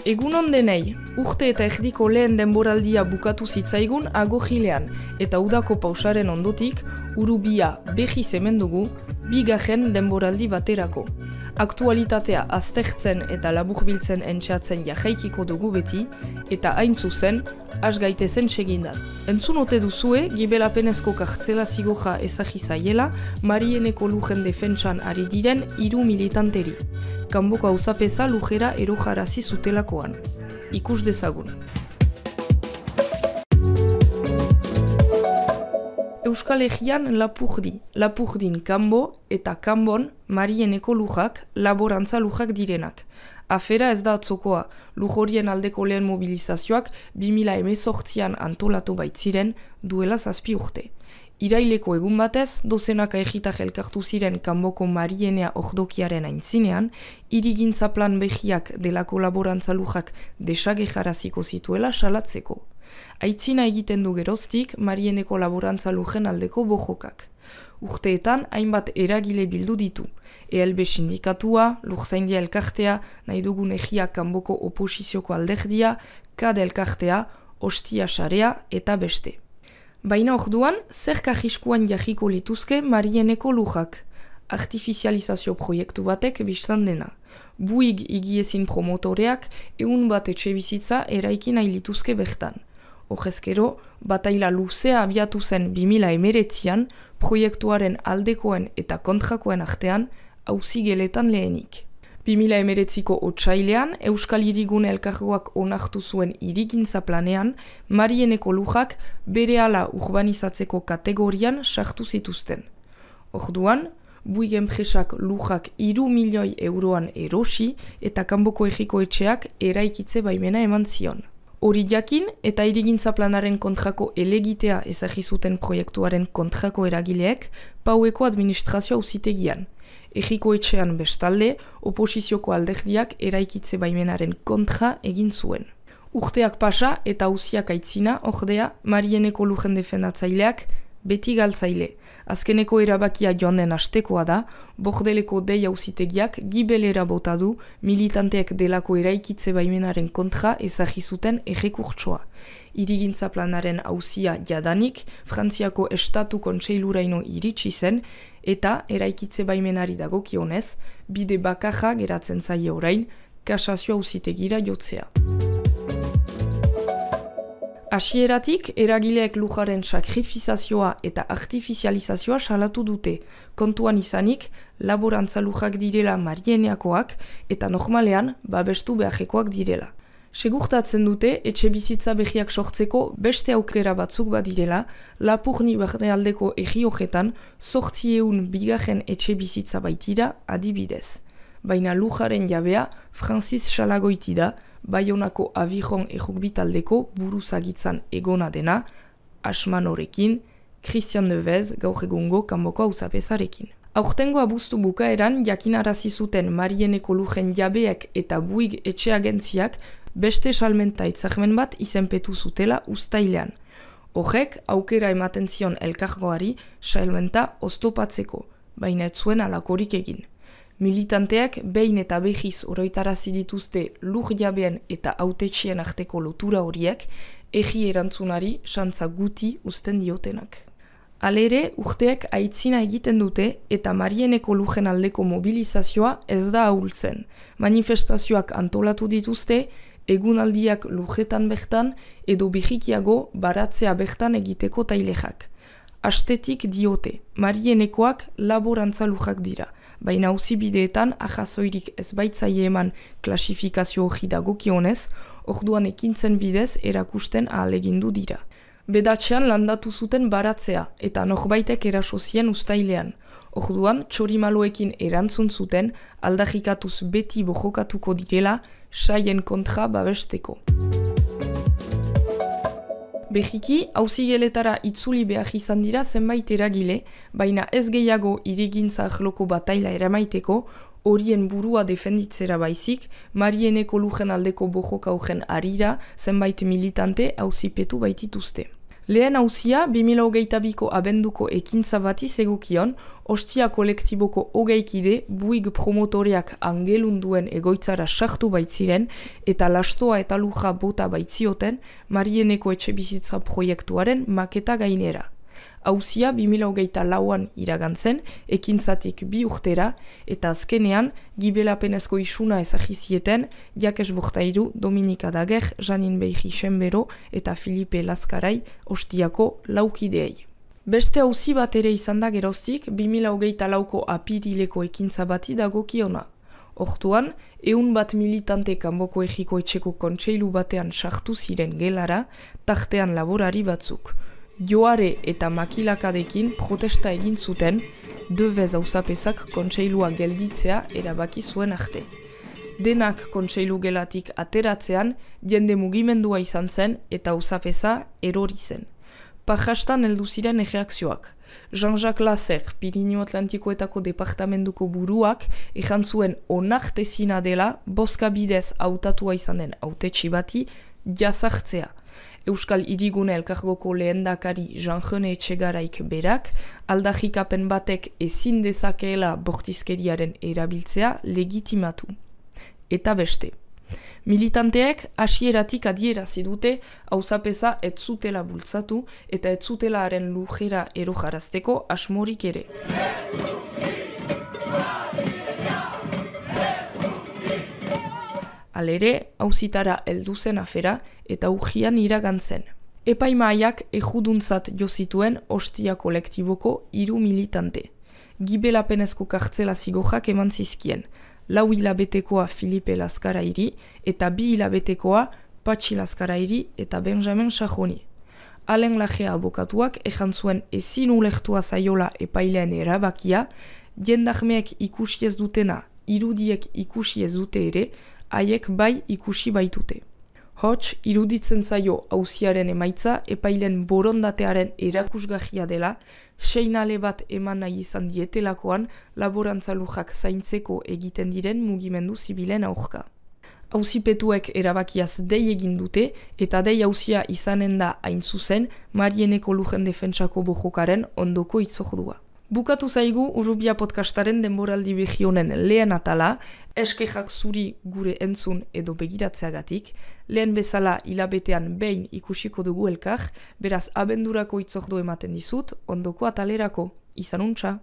Egunon denei, urte eta erdiko lehen denboraldia bukatu zitzaigun agogilean, eta udako pausaren ondotik, urubia behi zemendugu, bigarren denboraldi baterako. Aktualitatea aztertzen eta laburbiltzen entxeatzen jahaikiko dugu beti, eta hain zuzen, has gaitezen segindan. Entzun ote duzue, gibelapenezko kartzela zigoja ezagizaiela, Marieneko lujen defentsan ari diren 3 militanteri. Kanboko auzapeza lujera erojarazi zutelakoan. Ikus dezagun. Euskal Herrian Lapurdin kanbo eta kanbon Marieneko lujak laborantza lujak direnak. Afera ez da atzokoa, lujorien aldeko lehen mobilizazioak 2018an antolatu baitziren duela 7 urte. Iraileko egun batez, dozenaka egitak elkartu ziren kanboko Marienea ordokiaren aintzinean, hirigintza plan behiak delako laborantza lujak desagejaraziko zituela salatzeko. Aitzina egiten du geroztik Marieneko laborantza lujen aldeko bojokak. Urteetan hainbat eragile bildu ditu. ELB sindikatua, Lurzaindia elkartea, nahi dugun egia kanboko oposizioko alderdia, KAD elkartea, Ostia sarea eta beste. Baina orduan, zer kajiskuan jahiko lituzke Marieneko lujak. Artifizializazio proiektu batek biztan dena. Buig igiezin promotoreak egun bat etxebizitza eraiki nahi lituzke bertan. Horrezkero, bataila luzea abiatu zen 2019an, proiektuaren aldekoen eta kontrakoen artean, auzigeletan lehenik. 2019ko otsailean, Euskal Hirigune elkargoak onartu zuen hirigintza planean, Marieneko lujak berehala urbanizatzeko kategorian sartu zituzten. Orduan, Buig enpresak lujak 3 milioi euroan erosi eta kanboko egiko etxeak eraikitze baimena eman zion. Hori jakin eta hirigintza planaren kontrako elegitea ezagizuten proiektuaren kontrako eragileek Paueko administrazio auzitegian. Egiko etxean bestalde, oposizioko alderdiak eraikitze baimenaren kontra egin zuen. Urteak pasa eta auziak aitzina, ordea, Marieneko lujen defendatzaileak beti galtzaile. Azkeneko erabakia joan den astekoa da, Bordeleko dei auzitegiak gibelera bota du militanteek delako eraikitze baimenaren kontra ezagizuten errekurtsoa. Hirigintza planaren auzia jadanik, Frantziako Estatu Kontseiluraino iritsi zen, eta eraikitze baimenari dagokionez, bide bakarra geratzen zaie orain, kasazio auzitegira jotzea. Hasieratik, eragileek lujaren sakrifizazioa eta artifizializazioa salatu dute, kontuan izanik, laborantza lujak direla Marieneakoak eta normalean babestu beharrekoak direla. Segurtatzen dute, etxe bizitza behiak sortzeko beste aukera batzuk badirela, Lapurdi barnealdeko erriojetan 800 bigarren etxe bizitza baitira adibidez. Baina lujaren jabea Francis Salagoiti da, Baionako Aviron errukbitaldeko buruzagitzan egona dena, Asman horekin, Christian Devez gaur egungo kanboko auzapezarekin. Aurtengo abuztu bukaeran jakinarazi zuten Marieneko lujen jabeek eta Buig etxeagentziak beste salmenta hitzarmen bat izenpetu zutela uztailean. Horrek aukera ematen zion elkargoari salmenta oztopatzeko, baina ez zuen halakorik egin. Militanteak behin eta behiz oroitarazi dituzte lur jabeen eta hautetxien arteko lotura horiek, egi erantzunari santza guti uzten diotenak. Halere, urteek aitzina egiten dute eta Marieneko lujen aldeko mobilizazioa ez da ahultzen. Manifestazioak antolatu dituzte, egunaldiak lujetan bertan edo bihikiago baratzea bertan egiteko tailejak. Astetik diote, Marienekoak laborantza lujak dira, baina auzibideetan ahazoirik ez baitzaie eman klasifikazio hori dagokionez, orduan ekintzen bidez erakusten ahalegindu dira. Bedatxean landatu zuten baratzea eta norbaitek eraso zien uztailean. Orduan, txorimaloekin erantzun zuten aldarrikatuz beti bojokatuko direla saien kontra babesteko. Behiki, auzigeletara itzuli behar izan dira zenbait eragile, baina ez gehiago hirigintza arloko bataila eramaiteko, horien burua defenditzera baizik, Marieneko lujen aldeko bojoka horren arira zenbait militante auzipetu baitituzte. Lehen hauzia 2022ko abenduko ekintza bati zegokion, ostia kolektiboko 20 kide buig promotoriak angelunduen egoitzara sartu baitziren eta lastoa eta luja bota baitzioten Marieneko etxebizitza proiektuaren maketa gainera. Hauzia 2024an iragantzen, ekintzatik 2 urtera, eta azkenean, gibelapenezko isuna ezagizieten, Jakes Bortairu, Dominika Dager, Janin Beiri Senbero eta Filipe Laskarai ostiako laukideei. Beste hauzi bat ere izan da geroztik 2024ko apirileko ekintza bati dagokiona. Hortuan, 100 militante kanboko egiko etxeko kontseilu batean sartu ziren gelara, tartean laborari batzuk. Joare eta makilakadekin protesta egin zuten, Devez auzapezak kontseilua gelditzea erabaki zuen arte. Denak kontseilu gelatik ateratzean, jende mugimendua izan zen eta auzapeza erori zen. Pajastan heldu ziren erreakzioak. Jean-Jacques Lasser, Pirinio Atlantikoetako departamentuko buruak, ejan zuen onartezina dela bozka bidez hautatua izanen hautetsi bati jazartzea. Euskal Hirigune Elkargoko lehendakari Jean-René Etxegaraik berak, aldarrikapen batek ezin dezakeela bortizkeriaren erabiltzea legitimatu. Eta beste. Militanteek hasieratik adierazi dute auzapeza ez zutela bultzatu eta ez zutela haren lujera erojarazteko asmorik ere. Halere, auzitara heldu zen afera eta urgian iragantzen. Epaimahaiak ejuduntzat jo zituen ostia kolektiboko 3 militante. Gibelapenezko kartzela zigorrak eman zizkien. 4 hilabetekoa Filipe Laskarairi eta 2 hilabetekoa Patxi Laskarairi eta Benjamin Sajoni. Alen Lajea abokatuak ejan zuen ezin ulertua zaiola epailean erabakia, jendarmeek ikusi ez dutena, irudiek ikusi ez dute ere, haiek bai ikusi baitute. Hots, iruditzen zaio auziaren emaitza epailen borondatearen erakusgarria dela, seinale bat eman nahi izan dietelakoan laborantzalujak zaintzeko egiten diren mugimendu zibilen aurka. Auzipetuek erabakiaz dei egin dute eta dei auzia izanen da hain zuzen Marieneko lujen defentsako bojokaren ondoko itzordua. Bukatu zaigu Urrubia podcastaren denboraldi begionen lehen atala, eskejak zuri gure entzun edo begiratzeagatik, lehen bezala hilabetean behin ikusiko dugu elkar, beraz abendurako itzordu ematen dizut, ondoko atalerako. Izan untxa!